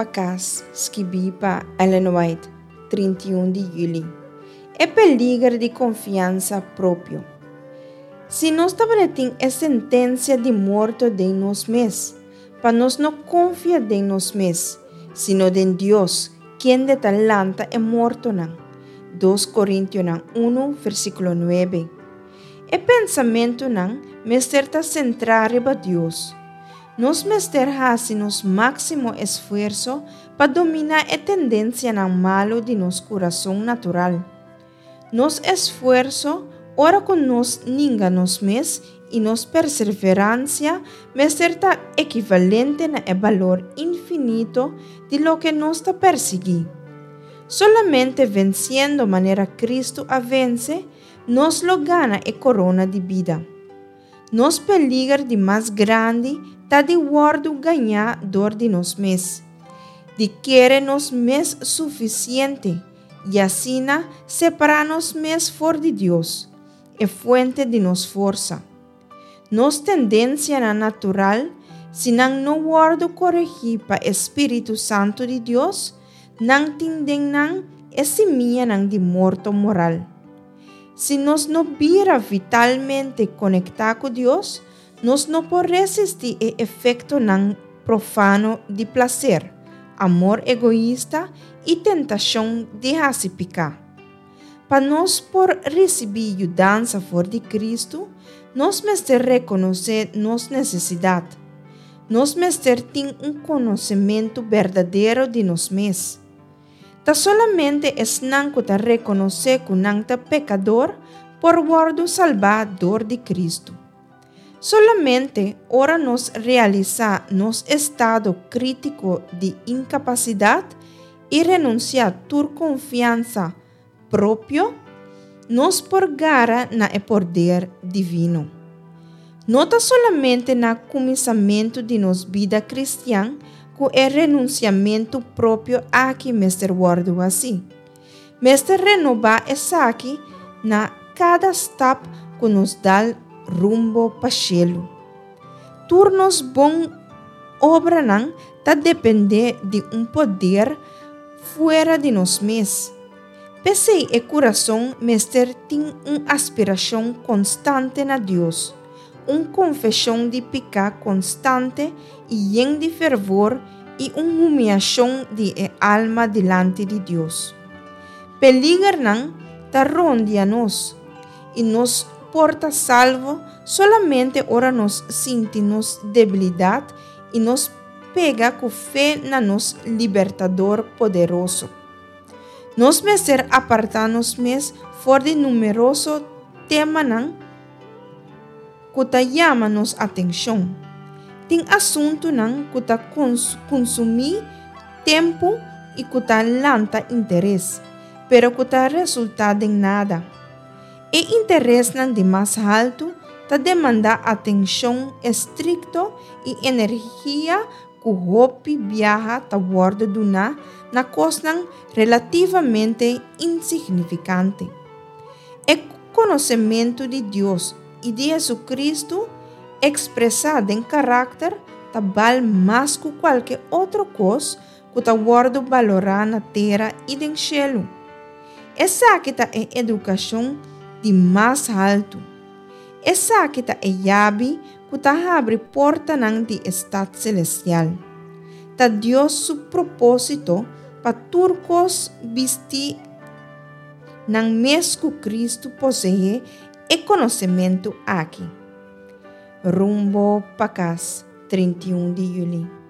pa Kas, skibí pa Ellen White, 31 di yüli. E peliger di konfiansa propio. Si nos tabata tin e sentensia di morto den nos mes, pa nos no konfia den nos mes, sino den Dios, kende ta lanta e mortonan. Dos Korintionan unu, versíkulo nuebe. E pensamentunan mester ta sentrá riba Dios. Nos mester hasi nos máksimo esfuerso pa dominá e tendensianan malu di nos kurason natural. Nos esfuerso ora ku nos ninga nos mes i nos perseveransia mester ta ekivalente na e balor infinito di loke nos ta persiguí. Solamente vensiendo manera Kristu a vense, nos lo gana e korona di bida. Nos peliger di mas grandi ta di wòrdu gañá dor di nos mes, di kere nos mes sufisiente i asina separá nos mes for di Dios, e fuente di nos forsa. Nos tendensianan natural, si nan no wòrdu koregí pa e spiritu santu di Dios, nan tin den nan e simianan di morto moral. Si nos no bira vitalmente konektá ku Dios, nos no por resistí e efektonan profano di plaser, amor egoista i tentashon di hasi piká. Pa nos por risibí yudansa for di Kristu, nos mester rekonosé nos nesesidat. Nos mester tin un konosementu berdadero di nos mes. Ta solamente esnan ku ta rekonosé ku nan ta pekador por wòrdu salbá dor di Kristu. Solamente ora nos realisá nos estado krítiko di inkapasidat i renunsiá tur konfiansa propio, nos por gara na e poder divino. No ta solamente na kuminsamentu di nos bida kristian ku e renunsiamentu propio aki mester wòrdu hasí. Mester renobá esaki na kada stap ku nos dal rumbo pa shelu. Tur nos bon obranan ta dependé di un poder fuera di nos mes. P'esei e kurason mester tin un aspirashon konstante na Dios, un konfeshon di piká konstante i yen di fervor i un humiashon di e alma dilanti di Dios. Peligernan ta rondia nos, i nos por ta salvo solamente ora nos sinti nos debilidat i nos pega ku fe na nos Libertador poderoso. Nos mester apartá nos mes for di numeroso temanan ku ta yama nos atenshon. Tin asuntunan ku ta kunsumí tempu i ku ta lanta interes, pero ku ta resultá den nada. E interesnan di mas haltu ta demandá atenshon estrikto i energia ku hopi biaha ta wòrdu duná na kosnan relativamente insignifikante. E konosementu di Dios i di Hesukristu ekspresá den karakter ta bal mas ku kualke otro kos ku ta wòrdu balorá na tera i den shelu. Esaki ta e edukashon di mas haltu. Esaki ta e yabi ku ta habri portanan di e stat selestial. Ta Dios su propósito pa tur kos bisti nan mes ku Kristu poseé e konosementu aki. Rumbo pa kas, 31 di yüli.